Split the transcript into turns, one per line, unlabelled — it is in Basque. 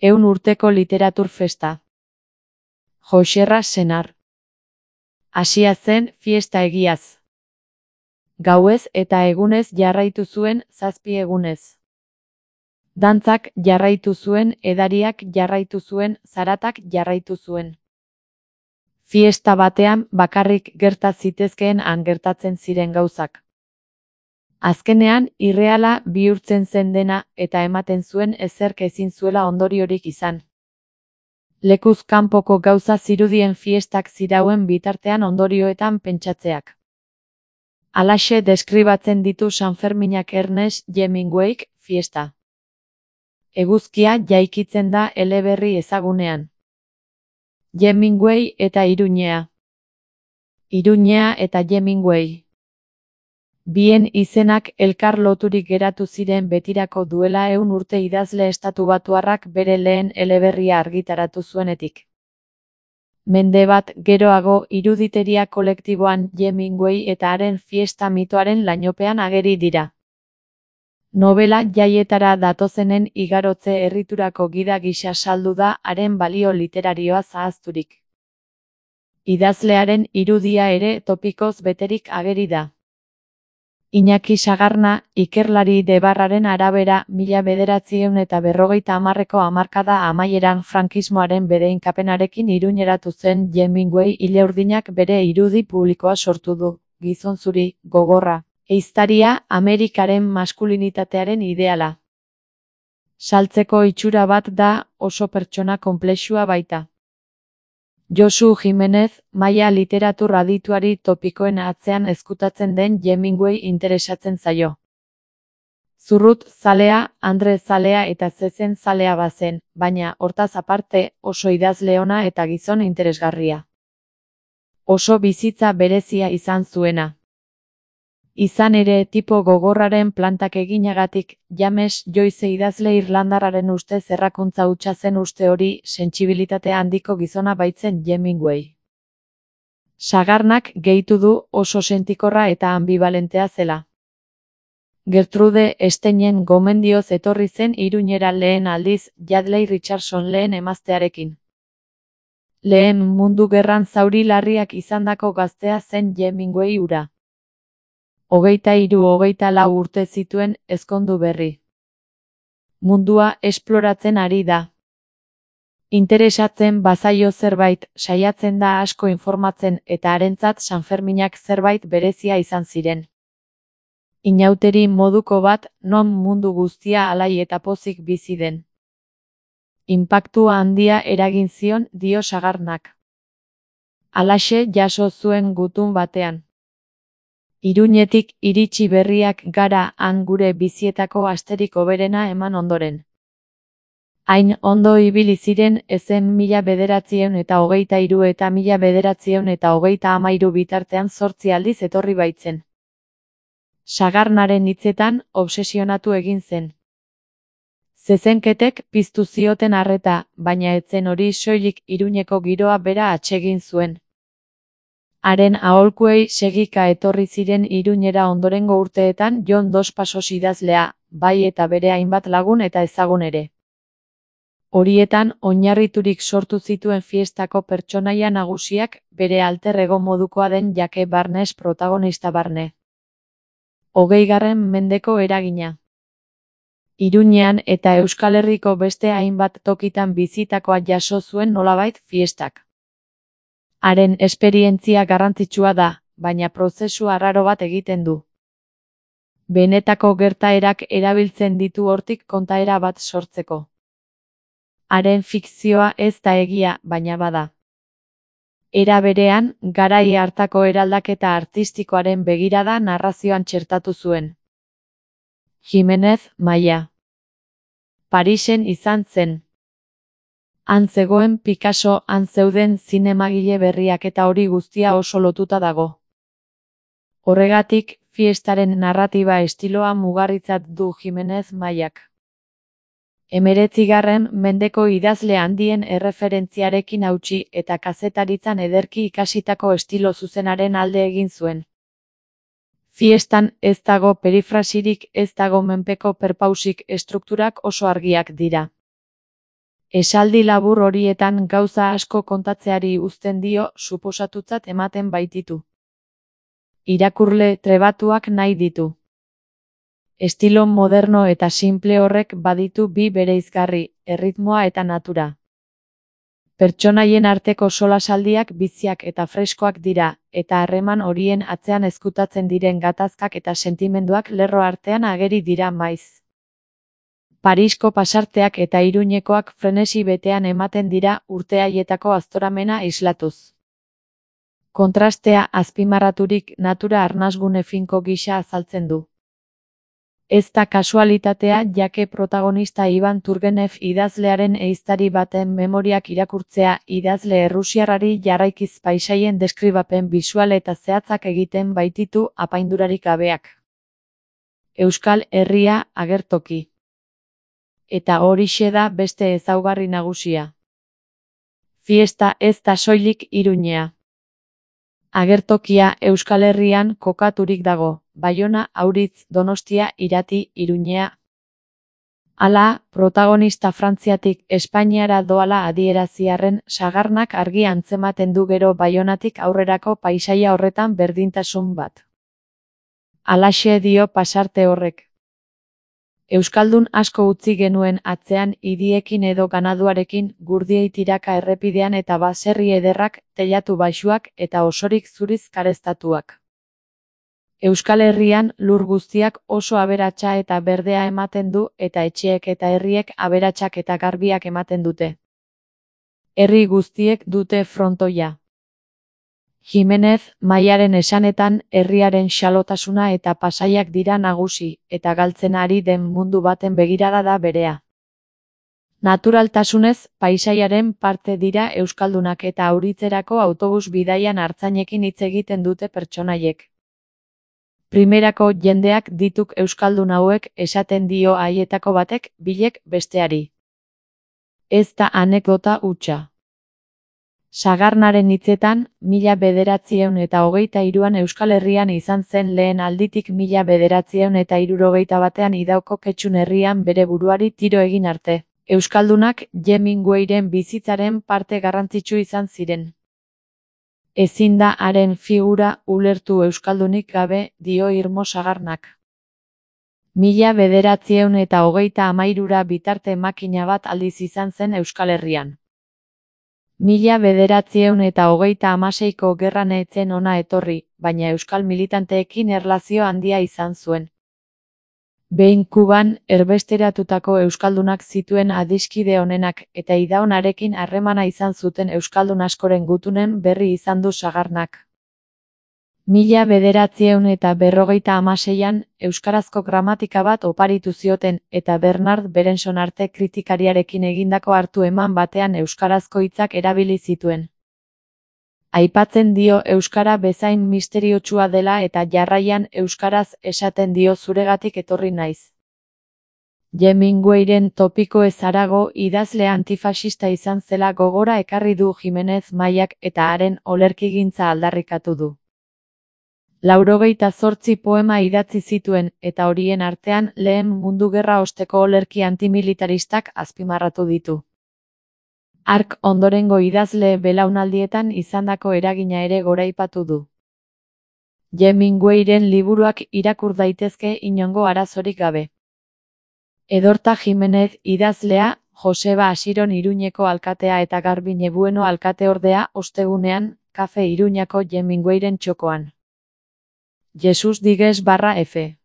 100 urteko literatur festa. Joxerra senar. Hasia zen fiesta egiaz. Gauez eta egunez jarraitu zuen 7 egunez. Dantzak jarraitu zuen, edariak jarraitu zuen, zaratak jarraitu zuen. Fiesta batean bakarrik gerta zitezkeen han gertatzen ziren gauzak. Azkenean irreala bihurtzen zen dena eta ematen zuen ezerk ezin zuela ondoriorik izan. Lekuz kanpoko gauza zirudien fiestak zirauen bitartean ondorioetan pentsatzeak. Halaxe deskribatzen ditu Sanferminak Ernest Hemingwayk fiesta. Eguzkia jaikitzen da eleberri ezagunean. Hemingway eta Iruñea. Iruñea eta Hemingway. Bien izenak elkar loturik geratu ziren betirako duela 100 urte idazle estatubatuarrak bere lehen eleberria argitaratu zuenetik. Mende bat geroago iruditeria kolektiboan Hemingway eta haren fiesta mitoaren lainopean ageri dira. Nobela jaietara datozenen igarotze erriturako gida gisa saldu da haren balio literarioa zahazturik. Idazlearen irudia ere topikoz beterik ageri da. Iñaki Sagarna, ikerlari Debarraren arabera 1950ko hamarkada amaieran frankismoaren bedeinkapenarekin iruñeratu zen Hemingway ileurdinak bere irudi publikoa sortu du, gizon zuri, gogorra, ehiztaria, Amerikaren maskulinitatearen ideala. Saltzeko itxura bat da, oso pertsona konplexua baita. Josu Jimenez, maila literatur adituari topikoen atzean ezkutatzen den Hemingway interesatzen zaio. Zurrut zalea, Andre zalea eta zezen zalea bazen, baina hortaz aparte oso idazle ona eta gizon interesgarria. Oso bizitza berezia izan zuena. Izan ere tipo gogorraren plantak eginagatik, James Joyce idazle irlandarraren ustez errakuntza hutsa zen uste hori sentsibilitate handiko gizona baitzen Hemingway. Sagarnak gehitu du oso sentikorra eta ambivalentea zela. Gertrude Steinen gomendioz etorri zen Iruñera lehen aldiz Yardley Richardson lehen emaztearekin. Lehen Mundu Gerran zauri larriak izandako gaztea zen Hemingway hura. 23-24 urte zituen ezkondu berri. Mundua esploratzen ari da. Interesatzen bazaio zerbait, saiatzen da asko informatzen eta harentzat Sanferminak zerbait berezia izan ziren. Inauteri moduko bat, non mundu guztia alai eta pozik bizi den. Inpaktua handia eragin zion, dio Sagarnak. Halaxe jaso zuen gutun batean. Iruñetik iritsi berriak gara han gure bizietako asterik hoberena eman ondoren. Hain ondo ibili ziren ezen 1923 eta 1933 bitartean 8 aldiz etorri baitzen. Sagarnaren hitzetan obsesionatu egin zen. Zezenketek piztu zioten arreta, baina etzen hori soilik Iruñeko giroa bera atsegin zuen. Haren aholkuei segika etorri ziren Iruñera ondorengo urteetan Jon Dos Passos idazlea, bai eta bere hainbat lagun eta ezagun ere. Horietan oinarriturik sortu zituen fiestako pertsonaia nagusiak bere alter ego modukoa den Jake Barnes protagonista barne. 20. mendeko eragina. Iruñean eta Euskal Herriko beste hainbat tokitan bizitakoa jaso zuen nolabait fiestak. Haren esperientzia garrantzitsua da, baina prozesu arraro bat egiten du. Benetako gertaerak erabiltzen ditu hortik kontaera bat sortzeko. Haren fikzioa ez da egia, baina bada. Era berean, garai hartako eraldaketa artistikoaren begirada narrazioan txertatu zuen. Jimenez, Maia. Parisen izan zen. Han zegoen Picasso, han zeuden zinemagile berriak eta hori guztia oso lotuta dago. Horregatik, fiestaren narratiba estiloa mugarritzat du Jimenez Maiak. 19. mendeko idazle handien erreferentziarekin hautsi eta kazetaritzan ederki ikasitako estilo zuzenaren alde egin zuen. Fiestan ez dago perifrasirik, ez dago menpeko perpausik, estrukturak oso argiak dira. Esaldi labur horietan gauza asko kontatzeari uzten dio suposatutzat ematen baititu. Irakurle trebatuak nahi ditu. Estilo moderno eta simple horrek baditu bi bereizgarri, erritmoa eta natura. Pertsonaien arteko solasaldiak biziak eta freskoak dira, eta harreman horien atzean ezkutatzen diren gatazkak eta sentimenduak lerro artean ageri dira maiz. Parisko pasarteak eta Iruñekoak frenesi betean ematen dira urte haietako aztoramena islatuz. Kontrastea azpimarraturik natura arnasgune finko gisa azaltzen du. Ez da kasualitatea jake protagonista Ivan Turgenev idazlearen ehiztari baten memoriak irakurtzea idazle errusiarrari jarraikiz paisaien deskribapen bisual eta zehatzak egiten baititu apaindurarik gabeak. Euskal Herria agertoki. Eta horixe da beste ezaugarri nagusia. Fiesta ez da soilik Iruñea. Agertokia Euskal Herrian kokaturik dago, Baiona, Auritz, Donostia, Irati, Iruñea. Hala, protagonista Frantziatik Espainiara doala adieraziarren sagarnak argi antzematen du gero Baionatik aurrerako paisaia horretan berdintasun bat. Halaxe dio pasarte horrek. Euskaldun asko utzi genuen atzean hiriekin edo ganaduarekin, gurdiei tiraka errepidean eta baserri ederrak, teilatu baxuak eta osorik zuriz karestatuak. Euskal Herrian lur guztiak oso aberatsa eta berdea ematen du eta etxeek eta herriek aberatsak eta garbiak ematen dute. Herri guztiek dute frontoia. Jimenez, Maiaren esanetan, herriaren xalotasuna eta pasaiak dira nagusi, eta galtzen ari den mundu baten begirada da berea. Naturaltasunez, paisaiaren parte dira euskaldunak eta Auritzerako autobus bidaian artzainekin hitz egiten dute pertsonaiek. Primerako jendeak dituk euskaldun hauek esaten dio haietako batek, bilek besteari. Ez da anekdota hutsa. Sagarnaren hitzetan, 1923an Euskal Herrian izan zen lehen alditik 1971ean Idauko Ketxun herrian bere buruari tiro egin arte. Euskaldunak Hemingwayren bizitzaren parte garrantzitsu izan ziren. Ezin da haren figura ulertu euskaldunik gabe, dio Irmo Sagarnak. 1923ra bitarte makina bat aldiz izan zen Euskal Herrian. 1936ko gerran ez zen hona etorri, baina euskal militanteekin erlazio handia izan zuen. Behin Kuban, erbesteratutako euskaldunak zituen adiskide onenak eta idaunarekin harremana izan zuten euskaldun askoren gutunen berri izan du Sagarnak. 1956an euskarazko gramatika bat oparitu zioten eta Bernard Berenson arte kritikariarekin egindako hartu eman batean euskarazko hitzak erabili zituen. Aipatzen dio euskara bezain misteriotsua dela eta jarraian euskaraz esaten dio zuregatik etorri naiz. Hemingwayren topiko ez harago idazle antifasista izan zela gogora ekarri du Jimenez Maiak eta haren olerkigintza aldarrikatu du. 98 poema idatzi zituen eta horien artean Lehen Mundu Gerra osteko olerki antimilitaristak azpimarratu ditu. Hark ondorengo idazle belaunaldietan izandako eragina ere goraipatu du. Hemingwayren liburuak irakur daitezke inongo arazorik gabe. Edorta Jimenez idazlea, Joseba Asiron Iruñeko alkatea eta Garbine Bueno alkateordea ostegunean, Kafe Iruñako Hemingwayren txokoan. Jesus Digues /F